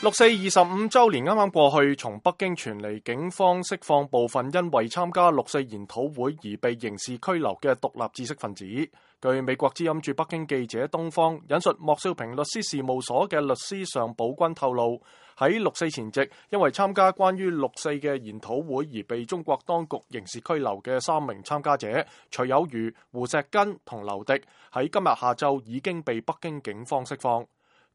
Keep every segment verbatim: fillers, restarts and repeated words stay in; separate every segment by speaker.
Speaker 1: 六四二十五週年啱啱過去，從北京傳嚟警方釋放部分因為參加六四研討會而被刑事拘留嘅獨立知識分子。據美國之音駐北京記者東方引述莫少平律師事務所嘅律師尚寶軍透露，喺六四前夕因為參加關於六四嘅研討會而被中國當局刑事拘留嘅三名參加者徐有餘、胡錫根同劉迪，喺今日下晝已經被北京警方釋放。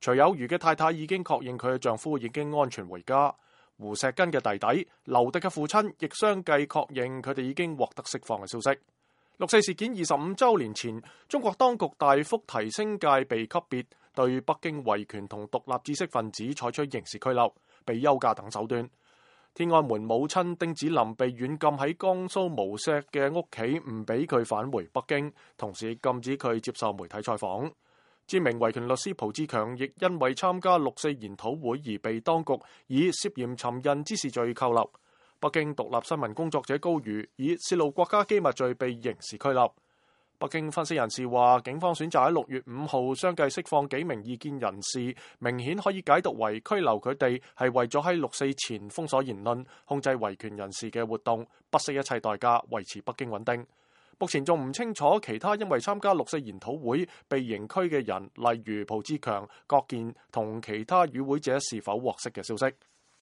Speaker 1: 徐有餘嘅太太已經確認佢嘅丈夫已經安全回家，胡錫根嘅弟弟、劉迪嘅父親亦相繼確認佢哋已經獲得釋放嘅消息。六四事件二十五週年前，中國當局大幅提升戒備級別，對北京維權同獨立知識分子採取刑事拘留、被休假等手段。天安門母親丁子霖被軟禁喺江蘇無錫嘅屋企，唔俾佢返回北京，同時禁止佢接受媒體採訪。知名維權律師蒲志強亦因為參加六四研討會而被當局以涉嫌尋釁滋事罪扣留。北京獨立新聞工作者高瑜以泄露國家機密罪被刑事拘留。北京分析人士話，警方選擇喺六月五號相繼釋放幾名異見人士，明顯可以解讀為拘留佢哋係為咗喺六四前封鎖言論、控制維權人士嘅活動，不惜一切代價維持北京穩定。目前仲唔清楚其他因為參加六四研討會被刑拘嘅人，例如蒲志強、郭健同其他與會者是否獲釋嘅消息。